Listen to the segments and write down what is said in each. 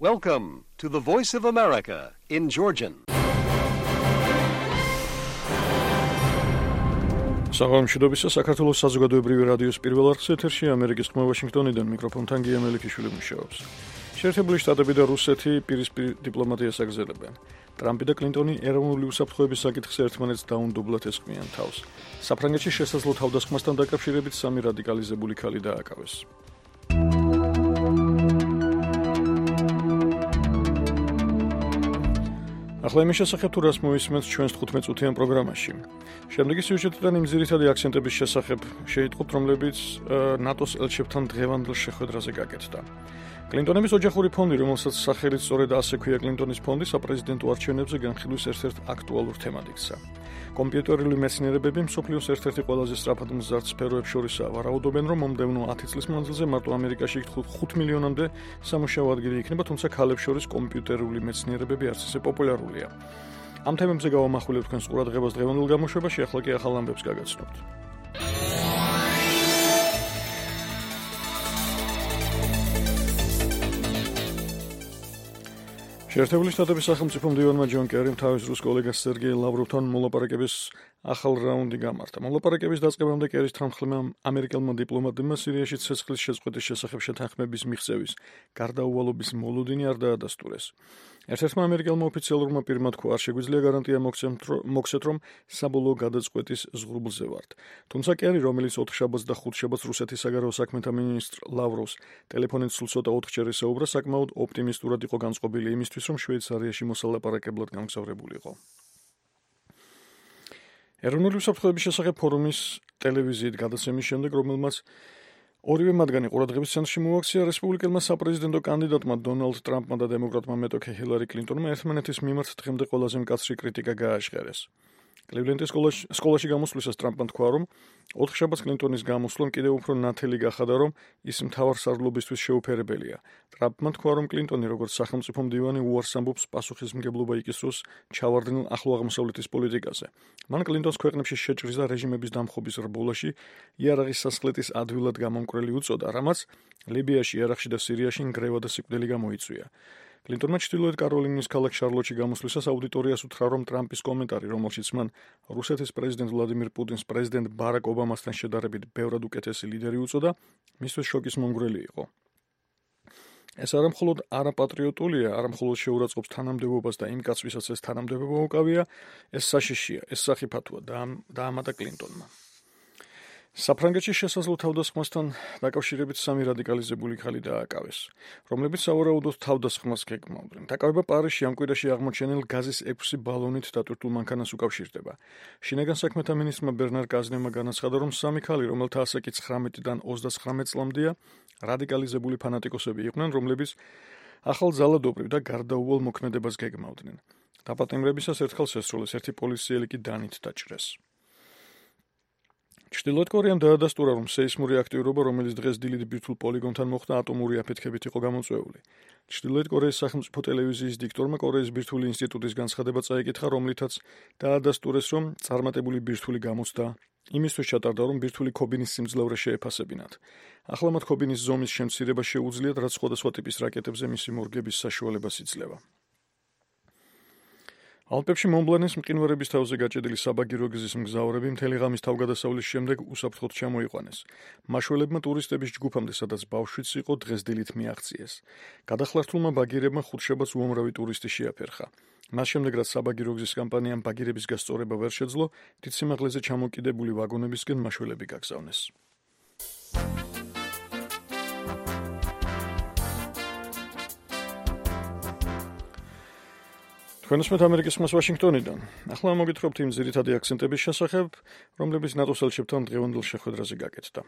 Welcome to the Voice of America in Georgian. საღამოშიდობისა საქართველოს საზოგადოებრივი რადიოს პირველ არხზე ეთერში ამერიკის ხმა ვაშინგტონიდან მიკროფონთან გია მელიქიშვილი მუშაობს. შეერთებული შტატები და რუსეთი პირისპირ დიპლომატიას აგრძელებენ. ტრამპი და კლინტონი ეროვნული უსაფრთხოების საკითხზე ერთმანეთს დაუნდობლად ესხმიან თავს. საფრანგეთში შესაძლო თავდასხმასთან დაკავშირებით სამი რადიკალიზებული ქალი დააკავეს. ახლა იმის შესახებ თუ რას მოვისმენთ ჩვენს 15 წუთიან პროგრამაში. შემდეგი სიუჟეტიდან იმ ძირითადი აქცენტების შესახებ შეიტყობთ, რომლებიც ნატოს ელჩებთან დღევანდელ შეხვედრაზე გაკეთდა. კლინტონების ოჯახური ფონდი, რომელსაც სახელით სწორედ ასე ქვია კლინტონის ფონდი, საპრეზიდენტო არჩევნებზე განხილვის ერთ-ერთ აქტუალურ თემად იქცა. კომპიუტერული მეცნიერებები მსოფლიოს ერთ-ერთი ყველაზე სწრაფად მზარდ სფეროებს შორისაა. ვარაუდობენ, რომ მომდევნო 10 წლის მანძილზე მარტო ამერიკაში 5 მილიონამდე სამუშაო ადგილი იქნება, თუმცა ქალებს შორის კომპიუტერული მეცნიერებები არც ისე პოპულარულია. ამ თემებზე გავამახვილებთ თქვენს ყურადღებას დღევანდელ გამოშვებაში, ახლა კი ახალ ამბებს გაგაცნობთ. შეერთებული შტატების სახელმწიფო მდივანმა ჯონ კერიმ თავის რუს კოლეგას სერგეი ლავროვთან მოლაპარაკების ახალ რაუნდი გამართა. მოლაპარაკების დაწყებამდე კერის თანხმებმა ამერიკელმა დიპლომატებმა სირიაში ცეცხლის შეწყვეტის შესახებ შეთანხმების მიღწევის გარდაუვალობის მოლოდინი არ დაადასტურეს. ერთ-ერთმა ამერიკელმა ოფიციალურმა პირმა თქვა, არ შეგვიძლია გარანტია მოგცეთ, რომ საბოლოო გადაწყვეტის ზღურბლზე ვართ. თუმცა კერი, რომელიც 4 შაბათს და 5 შაბათს რუსეთის საგარეო საქმეთა მინისტრ ლავროვს ტელეფონით სულ ცოტა 4-ჯერ ესაუბრა, საკმაოდ ოპტიმისტურად იყო განწყობილი იმისთვის, რომ შვეიცარიაში მოსალაპარაკებლად გამგზავრებულიყო. ეროვნული უსაფრთხოების შესახებ ფორუმის ტელევიზიით გადაცემის შემდეგ, რომელმაც ორივე მათგანი ყურადღების ცენტრში მოაქცია, რესპუბლიკელმა საპრეზიდენტო კანდიდატმა დონალდ ტრამპმა და დემოკრატმა მეტოქე ჰილარი კლინტონმა ერთმანეთის მიმართ დღემდე ყველაზე მკაცრი კრიტიკა გააჟღერეს. კლივლენდის სკოლაში გამოსვლისას ტრამპმა თქვა, რომ 4 შაბათს კლინტონის გამოსვლამ კიდევ უფრო ნათელი გახადა, რომ ის მთავარსარდლობისთვის შეუფერებელია. ტრამპმა თქვა, რომ კლინტონი როგორც სახელმწიფო მდივანი უარს ამბობს პასუხისმგებლობა იკისროს ჩავარდნილ ახლო აღმოსავლეთის პოლიტიკაზე. მან კლინტონს ქვეყნებში შეჭრის და რეჟიმების დამხობის რბოლაში იარაღის სასხლეტის ადვილად გამომკვრელი უწოდა, რამაც ლიბიაში, ერაყში და სირიაში ნგრევა და სიკვდილი გამოიწვია. კლინტონმა ჩრდილოეთ კაროლინის ქალაქ შარლოტში გამოსვლისას აუდიტორიას უთხრა, რომ ტრამპის კომენტარი, რომელშიც მან რუსეთის პრეზიდენტ ვლადიმირ პუტინს პრეზიდენტ ბარაკ ობამასთან შედარებით ბევრად უკეთესი ლიდერი უწოდა, მისთვის შოკის მომგვრელი იყო. ეს არა მხოლოდ არაპატრიოტულია, არა მხოლოდ შეურაცხყოფს თანამდებობას და იმ კაცს, ვისაც ეს თანამდებობა უკავია, ეს საშიშია, ეს სახიფათოა დაამატა კლინტონმა. საფრანგეთში შესაძლო თავდასხმასთან დაკავშირებით სამი რადიკალიზებული ქალი დააკავეს, რომლებიც სავარაუდოდ თავდასხმას გეგმავდნენ. დაკავება პარიზში ამ კვირაში აღმოჩენილ გაზის 6 ბალონით დატვირთულ მანქანას უკავშირდება. შინაგან საქმეთა მინისტრმა ბერნარ კაზნევმა განაცხადა, რომ სამი ქალი, რომელთა ასაკი 19-დან 29 წლამდეა, რადიკალიზებული ფანატიკოსები იყვნენ, რომლებიც ახალ ძალადობრივ და გარდაუვალ მოქმედებას გეგმავდნენ. დაპატიმრებისას ერთხელ შესრულეს, ერთი პოლიციელი კი დანით დაჭრეს. ჩრდილოეთ კორეამ დაადასტურა, რომ სეისმური აქტიურობა, რომელიც დღეს დილით ბირთვულ პოლიგონთან მოხდა, ატომური აფეთქებით იყო გამოწვეული. ჩრდილოეთ კორეის სახელმწიფო ტელევიზიის დიქტორმა კორეის ბირთვული ინსტიტუტის განცხადება წაიკითხა, რომლითაც დაადასტურეს, რომ წარმატებული ბირთვული გამოცდა იმისთვის ჩატარდა, რომ ბირთვული ქობინის სიმძლავრე შეეფასებინათ. ახლა მათ ქობინის ზომის შემცირება შეუძლიათ, რაც სხვადასხვა ტიპის რაკეტებზე მისი მორგების საშუალებას იძლევა. ალპებში მონბლანის მყინვარების თავზე გაჭედილი საბაგირო გზის მგზავრები მთელი ღამის თავგადასავლის შემდეგ უსაფრთხოდ ჩამოიყვანეს. მაშველებმა ტურისტების ჯგუფამდე, სადაც ბავშვიც იყო, დღეს დილით მიაღწიეს. გადახლართულმა ბაგირებმა 5 შაბათს უამრავი ტურისტი შეაფერხა. მას შემდეგ, რაც საბაგირო გზის კამპანიამ ბაგირების გასწორება ვერ შეძლო, დიდ სიმაღლეზე ჩამოკიდებული ვაგონებისკენ მაშველები გაგზავნეს. თქვენსმეთ ამერიკის ხმას ვაშინგტონიდან. ახლა მოგითხრობთ იმ ძირითადი აქცენტების შესახებ, რომლებიც ნატოს ელჩებთან დღევანდელ შეხვედრაზე გაკეთდა.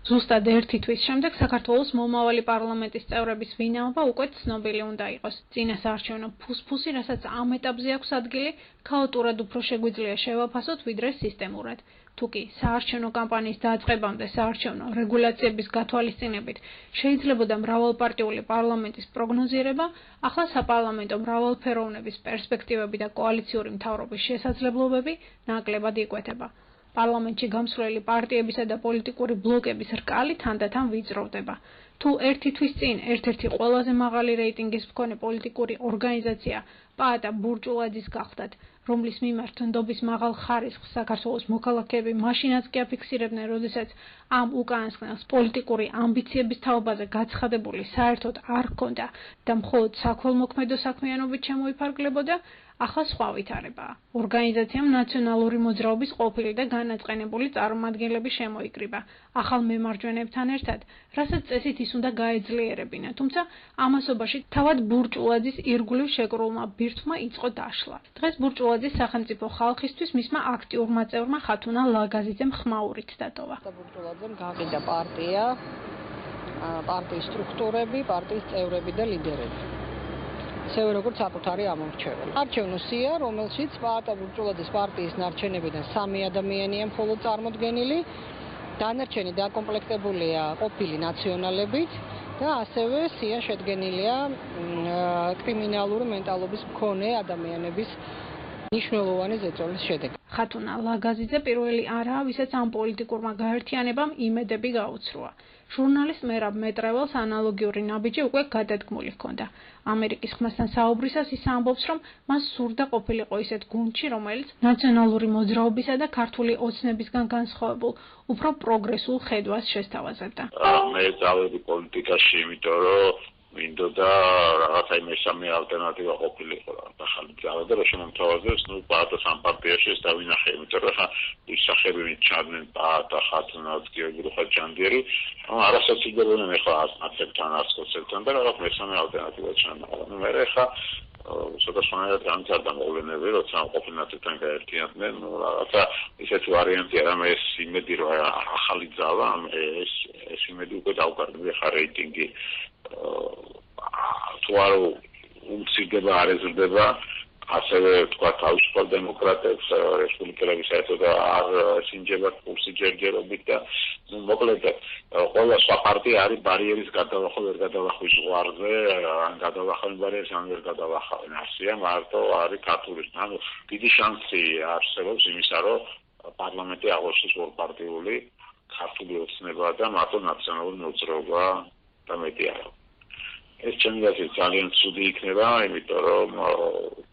ზუსტად 1 თვის შემდეგ საქართველოს მომავალი პარლამენტის წევრების ვინაობა უკვე ცნობილი უნდა იყოს. წინა საარჩევნო ფუსფუსი, რასაც ამ ეტაპზე აქვს ადგილი, ქაოტურად უფრო შეგვიძლია შევაფასოთ, ვიდრე სისტემურად. თუკი საარჩევნო კამპანიის დაწყებამდე საარჩევნო რეგულაციების გათვალისწინებით შეიძლებოდა მრავალპარტიული პარლამენტის პროგნოზირება, ახლა საპარლამენტო მრავალფეროვნების პერსპექტივები და კოალიციური მთავრობის შესაძლებლობები ნაკლებად იკვეთება. პარლამენტში გამსვლელი პარტიებისა და პოლიტიკური ბლოკების რკალი თანდათან ვიწროვდება. თუ ერთი თვის წინ ერთ-ერთი ყველაზე მაღალი რეიტინგის მქონე პოლიტიკური ორგანიზაცია პაატა ბურჯულაძის გახდათ, რომლის მიმართ ნდობის მაღალ ხარისხს საქართველოს მოქალაქეები მაშინაც კი აფიქსირებდნენ, როდესაც ამ უკანასკნელს პოლიტიკური ამბიციების თაობაზე გაცხადებული საერთოდ არ ჰქონდა და მხოლოდ საქველმოქმედო საქმიანობით შემოიფარგლებოდა, ახლა სხვა ვითარებაა. ორგანიზაციამ ნაციონალური მოძრაობის ყოფილი და განაწყენებული წარმომადგენლები შემოიკრიბა ახალ მემარჯვენეებთან ერთად, რასაც წესით ის უნდა გაეძლიერებინა, თუმცა ამასობაში თავად ბურჯულაძის ირგვლივ შეკრულმა ბირთვმა იწყო დაშლა. დღეს ბურჯულაძის სახელმწიფო ხალხისთვის მისმა აქტიურმა წევრმა ხათუნა ლაგაზიძემ ხმაურით დატოვა. ბურჯულაძემ გაყიდა პარტია, პარტიის სტრუქტურები, პარტიის წევრები და ლიდერები. ისევე როგორც საკუთარი ამორჩეველი. არჩევნო სია, რომელშიც პაატა ბურჯულაძის პარტიის ნარჩენებიდან 3 ადამიანია მხოლოდ წარმოდგენილი, დანარჩენი დაკომპლექტებულია ყოფილი ნაციონალებით და ასევე სია შედგენილია კრიმინალური მენტალობის მქონე ადამიანების მნიშვნელოვანი ზეწოლის შედეგად. ხათუნა ლაგაზიძე პირველი არაა, ვისაც ამ პოლიტიკურმა გაერთიანებამ იმედები გაუცრუა. ჟურნალისტ მერაბ მეტრეველს ანალოგიური ნაბიჯი უკვე გადადგმული ჰქონდა. ამერიკის ხმასთან საუბრისას ის ამბობს, რომ მას სურდა ყოფილიყო ისეთ გუნდში, რომელიც ნაციონალური მოძრაობისა და ქართული ოცნებისგან განსხვავებულ, უფრო პროგრესულ ხედვას შესთავაზებდა. მე წავედი პოლიტიკაში, იმიტომ რომ მინდოდა რაღაცა მესამე ალტერნატივა ყოფილიყო რა. ახალი ძალა და რა შემომთავაზებს, პაატას ამ პარტიაში ეს დავინახე, იმიტომ რომ ხა ის სახეები ჩადნენ პაატა, ხათუნაც, გიორგი ხაჯანდიერი, არასაცილდებოდნენ ეხლა აცებთან, ასკოცებთან და რაღაც მესამე ალტერნატივა ჩანა. მე ხა ცოტა სხვანაირად განცადა მოვლენები, როცა ყოფილი ნაცებთან გაერთიანდნენ, რაღაცა ისეთი ვარიანტია, რომ ეს იმედი რომ ახალი ძალა, ეს იმედი უკვე დაუკარგდა ხა რეიტინგი თუ არ უმცირდება, არ ეზრდება, ასევე თქვა თავისუფალ დემოკრატებს რესპუბლიკელები საერთოდ არ სინჯება კურსი ჯერჯერობით და მოკლედ ყველა სხვა პარტია არის ბარიერის გადალახვა ვერ გადალახვის ზღვარზე, ან გადალახავენ ბარიერს, ან ვერ გადალახავენ. ასია მარტო არის ქართული. ანუ დიდი შანსი არსებობს იმისა, რომ პარლამენტი აღოჩნდეს ორპარტიული ქართული ოცნება და მარტო ნაციონალური მოძრაობა და მეტი არა. ეს ჩემი აზრით ძალიან ცუდი იქნება, იმიტომ რომ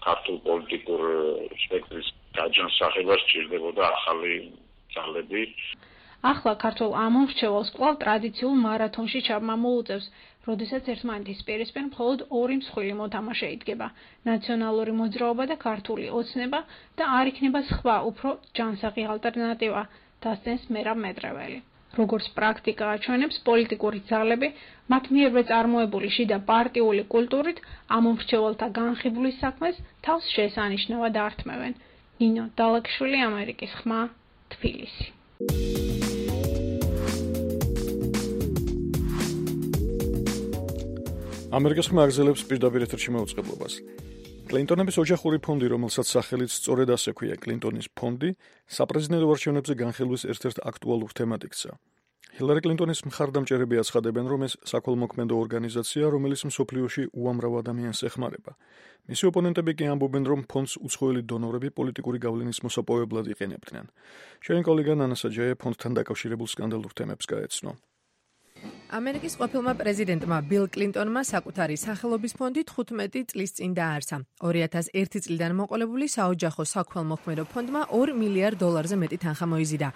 ქართულ პოლიტიკურ სპექტრის გაჯანსაღება სჭირდებოდა ახალი ძალები. ახლა ქართულ ამომრჩეველს კვლავ ტრადიციულ მარათონში ჩაბმა მოუწევს, როდესაც ერთმანეთის პირისპირ მხოლოდ ორი მსხვილი მოთამაშე იდგება: ნაციონალური მოძრაობა და ქართული ოცნება და არ იქნება სხვა, უფრო ჯანსაღი ალტერნატივა, დასცენს მერაბ მეტრეველი. როგორც პრაქტიკა აჩვენებს, პოლიტიკური ძალები მათ მიერვე წარმოებული შიდა პარტიული კულტურით ამომრჩეველთა განხიბვლის საქმეს თავს შესანიშნავად ართმევენ. ნინო დალაკშვილი, ამერიკის ხმა, თბილისი. ამერიკის ხმა აგზელებს პირდაპირ ეთერში მაუწყებლობას. კლინტონების ოჯახური ფონდი, რომელსაც სახელიც სწორედ ასე ქვია კლინტონის ფონდი, საპრეზიდენტო არჩევნებზე განხილვის ერთ-ერთ აქტუალურ თემად იქცა. ჰილარი კლინტონის მხარდამჭერები აცხადებენ, რომ ეს საქველმოქმედო ორგანიზაცია, რომელიც მსოფლიოში უამრავ ადამიანს ეხმარება. მისი ოპონენტები კი ამბობენ, რომ ფონდს უცხოელი დონორები პოლიტიკური გავლენის მოსაპოვებლად იყენებდნენ. ჩვენი კოლეგა ნანა საჯაია ფონდთან დაკავშირებულ სკანდალურ თემებს გაეცნო. ამერიკის ყოფილმა პრეზიდენტმა ბილ კლინტონმა საკუთარი სახელობის ფონდი 15 წლის წინ დააარსა. 2001 წლიდან მოყოლებული საოჯახო საქველმოქმედო ფონდმა $2 მილიარდ მეტი თანხა მოიზიდა.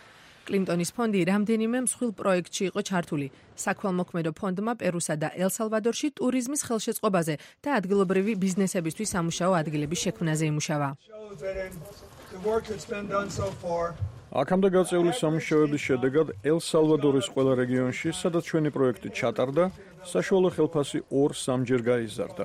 კლინტონის ფონდი რამდენიმე მსხვილ პროექტში იყო ჩართული. საქველმოქმედო ფონდმა პერუსა და ელ-სალვადორში ტურიზმის ხელშეწყობაზე და ადგილობრივი ბიზნესებისთვის სამუშაო ადგილების შექმნაზე იმუშავა. აქამდე გაწეული სამუშაოების შედეგად ელ-სალვადორის ყველა რეგიონში, სადაც ჩვენი პროექტი ჩატარდა, საშუალო ხელფასი 2-3 გაიზარდა.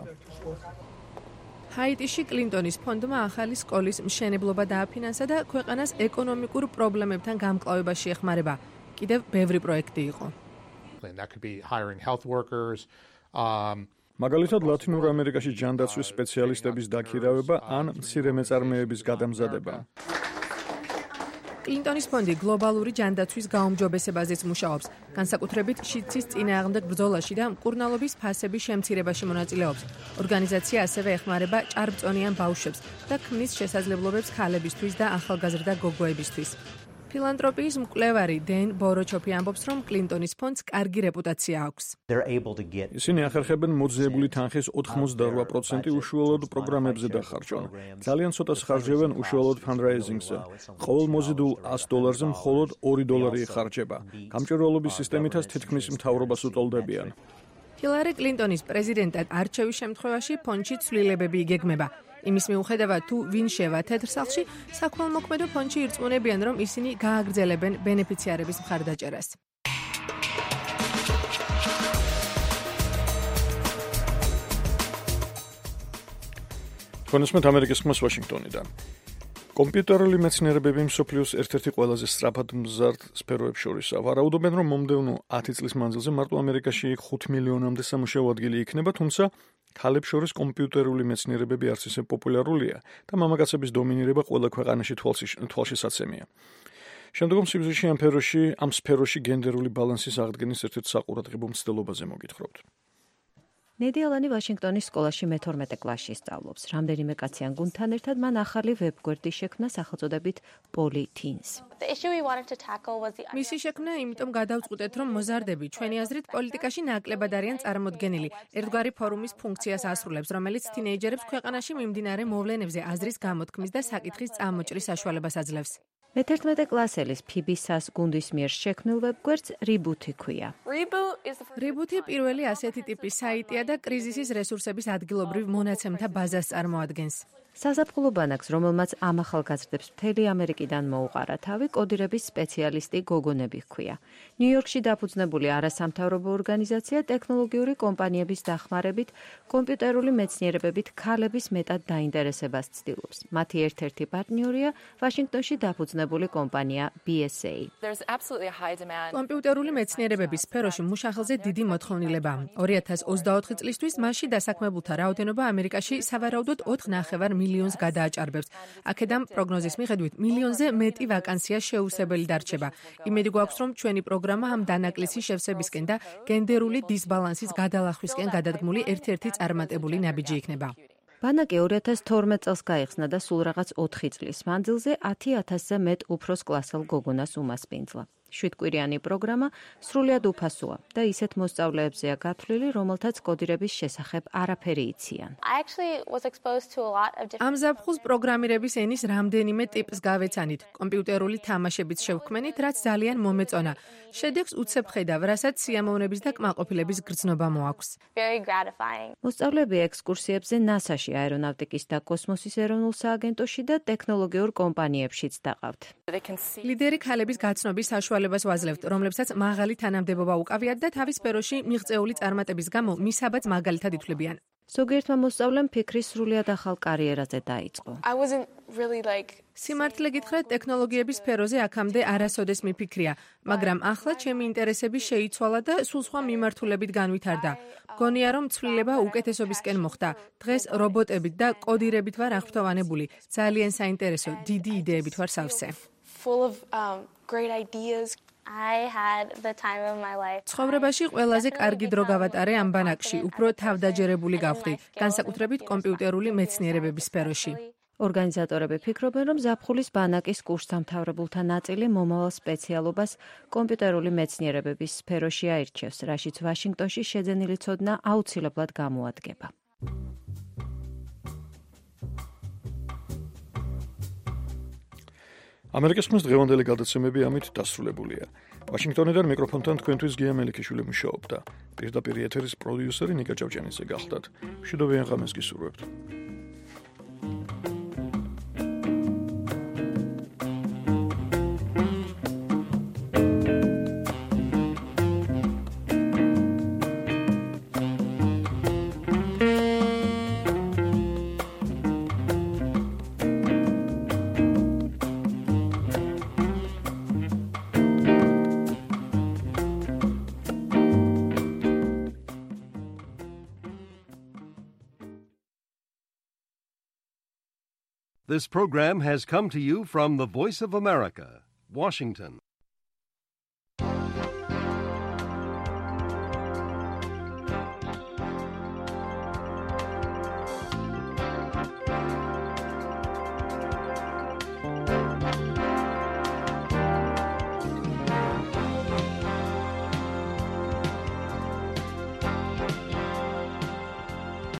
ჰაიტიში კლინტონის ფონდმა ახალი სკოლის მშენებლობა დააფინანსა და ქვეყანას ეკონომიკურ პრობლემებთან გამკლავებაში ეხმარება. კიდევ ბევრი პროექტი იყო. მაგალითად, ლათინურ ამერიკაში ჯანდაცვის სპეციალისტების დაქირავება ან მცირე მეწარმეების გადამზადება. კლინტონის ფონდი გლობალური ჯანდაცვის გაუმჯობესებაზეც მუშაობს. განსაკუთრებით შიდსის წინააღმდეგ ბრძოლაში და მკურნალობის ფასების შემცირებაში მონაწილეობს. ორგანიზაცია ასევე ეხმარება ჭარბწონიან ბავშვებს და ქმნის შესაძლებლობებს ქალებისთვის და ახალგაზრდა გოგოებისთვის. ფილანთროპიის მკვლევარი დენ ბოროჩოფი ამბობს, რომ კლინტონის ფონდს კარგი რეპუტაცია აქვს. ისინი ახერხებენ მოძიებული თანხის 88% უშუალოდ პროგრამებზე დახარჯონ. ძალიან ცოტას ხარჯებენ უშუალოდ ფანდრაიზინგზე. ყოველ მოზიდულ $100-ზე მხოლოდ $2 იხარჯება. გამჭვირვალობის სისტემითაც თითქმის მთავრობას უტოლდებიან. ჰილარი კლინტონის პრეზიდენტად არჩევის შემთხვევაში ფონდში ცვლილებები იგეგმება. იმის მიუხედავად, თუ ვინ შევა თეთრ სახლში, საქველმოქმედო ფონდში ირწმუნებიან, რომ ისინი გააგრძელებენ ბენეფიციარების მხარდაჭერას. თქვენს ამერიკის ხმას ვაშინგტონიდან. კომპიუტერული მეცნიერებები მსოფლიოს ერთ-ერთი ყველაზე სწრაფად მზარდ სფეროებს შორისაა. ვარაუდობენ, რომ მომდევნო 10 წლის მანძილზე მარტო ამერიკაში 5 მილიონამდე სამუშაო ადგილი იქნება, თუმცა ქალებს შორის კომპიუტერული მეცნიერებები არც ისე პოპულარულია და მამაკაცების დომინირება ყველა ქვეყანაში თვალშისაცემია. შემდგომ სიბრძვეში ამ სფეროში გენდერული ბალანსის აღდგენის ერთ-ერთ საყურადღებო მცდელობაზე მოგითხრობთ. ნედი ალანი ვაშინგტონის სკოლაში მე-12 კლასში სწავლობს. რამდენიმე კაციან გუნდთან ერთად მან ახალი ვებგვერდი შექმნა სახელწოდებით Poly Teens. მისი შექმნა იმიტომ გადავწყვეტეთ, რომ მოზარდები ჩვენი აზრით პოლიტიკაში ნაკლებად არიან წარმოდგენილი. ერთგვარი ფორუმის ფუნქციას ასრულებს, რომელიც თინეიჯერებს ქვეყანაში მიმდინარე მოვლენებზე აზრის გამოთქმის და საკითხის წამოჭრის საშუალებას აძლევს. მე-11 კლასელის ფიბისას გუნდის მიერ შექმნილ ვებგვერდს Reboot-ი ქვია. Reboot-ი პირველი ასეთი ტიპის საიტია და კრიზისის რესურსების ადგილობრივ მონაცემთა ბაზას წარმოადგენს. საზაფხულო ბანაკს, რომელმაც ამ ახალგაზრდებს მთელი ამერიკიდან მოუყარა თავი, კოდირების სპეციალისტი გოგონები ჰქვია. ნიუ-იორკში დაფუძნებული არასამთავრობო ორგანიზაცია ტექნოლოგიური კომპანიების დახმარებით კომპიუტერული მეცნიერებებით ქალების მეტად დაინტერესებას ცდილობს. მათი ერთ-ერთი პარტნიორია ვაშინგტონში დაფუძნებული კომპანია BSA. კომპიუტერული მეცნიერებების სფეროში მუშახელზე დიდი მოთხოვნილებაა. 2024 წლისთვის მასში დასაქმებულთა რაოდენობა ამერიკაში სავარაუდოდ 4,5 მილიონს გადააჭარბებს. აქედან პროგნოზის მიხედვით მილიონზე მეტი ვაკანსია შეუსებელი დარჩება. იმედი გვაქვს, რომ ჩვენი პროგრამა ამ დანაკლისის შევსებისკენ და გენდერული დისბალანსის გადალახვისკენ გადადგმული ერთ-ერთი წარმატებული ნაბიჯი იქნება. ბანაკი 2012 წელს გაიხსნა და სულ რაღაც 4 წლის მანძილზე 10,000-ზე მეტ უფროს კლასელ გოგონას უმასპინძლა. 7-კვირიანი პროგრამა სრულიად უფასოა და ისეთ მოსწავლეებზეა გათვლილი, რომელთაც კოდირების შესახებ არაფერი იციან. ამ ზაფხულს პროგრამირების ენის რამდენიმე ტიპს გავეცანით. კომპიუტერული თამაშებით შევქმენით, რაც ძალიან მომეწონა. შედეგს უცებ ხედავ, რასაც სიამოვნების და კმაყოფილების გრძნობა მოაქვს. მოსწავლეები ექსკურსიებზე NASA-ში, აერონავტიკის და კოსმოსის ეროვნულ სააგენტოში და ტექნოლოგიურ კომპანიებშიც დაყავთ. ლიდერი ქალების გაცნობის საშუალებას ვაძლევთ, რომლებსაც მაღალი თანამდებობა უკავიათ და თავის სფეროში მიღწეული წარმატების გამო მისაბაძ მაგალითად ითვლებიან. ზოგიერთმა მოსწავლემ ფიქრი სრულიად ახალ კარიერაზე დაიწყო. სიმართლე გითხრათ, ტექნოლოგიების სფეროზე აქამდე არასოდეს მიფიქრია, მაგრამ ახლა ჩემი ინტერესები შეიცვალა და სულ სხვა მიმართულებით განვითარდა. მგონია, რომ ცვლილება უკეთესობისკენ მოხდა. დღეს რობოტებით და კოდირებით ვარ აღფრთოვანებული. ძალიან საინტერესო, დიდი იდეებით ვარ სავსე. ცხოვრებაში ყველაზე კარგი დრო გავატარე ამ ბანაკში, უფრო თავდაჯერებული გავხდი, განსაკუთრებით კომპიუტერული მეცნიერებების სფეროში. ორგანიზატორები ფიქრობენ, რომ ზაფხულის ბანაკის კურსდამთავრებულთა ნაწილი მომავალ სპეციალობას კომპიუტერული მეცნიერებების სფეროში აირჩევს, რაშიც ვაშინგტონში შეძენილი ცოდნა აუცილებლად გამოადგება. ამერიკის ხმის დღევანდელი გადაცემები ამით დასრულებულია. ვაშინგტონიდან მიკროფონთან თქვენთვის გია მელიქიშვილი მუშაობდა. პირდაპირ ეთერის პროდიუსერი ნიკა ჭავჭიანიძე გახლდათ. მშვიდობიან ღამეს გისურვებთ. This program has come to you from the Voice of America, Washington.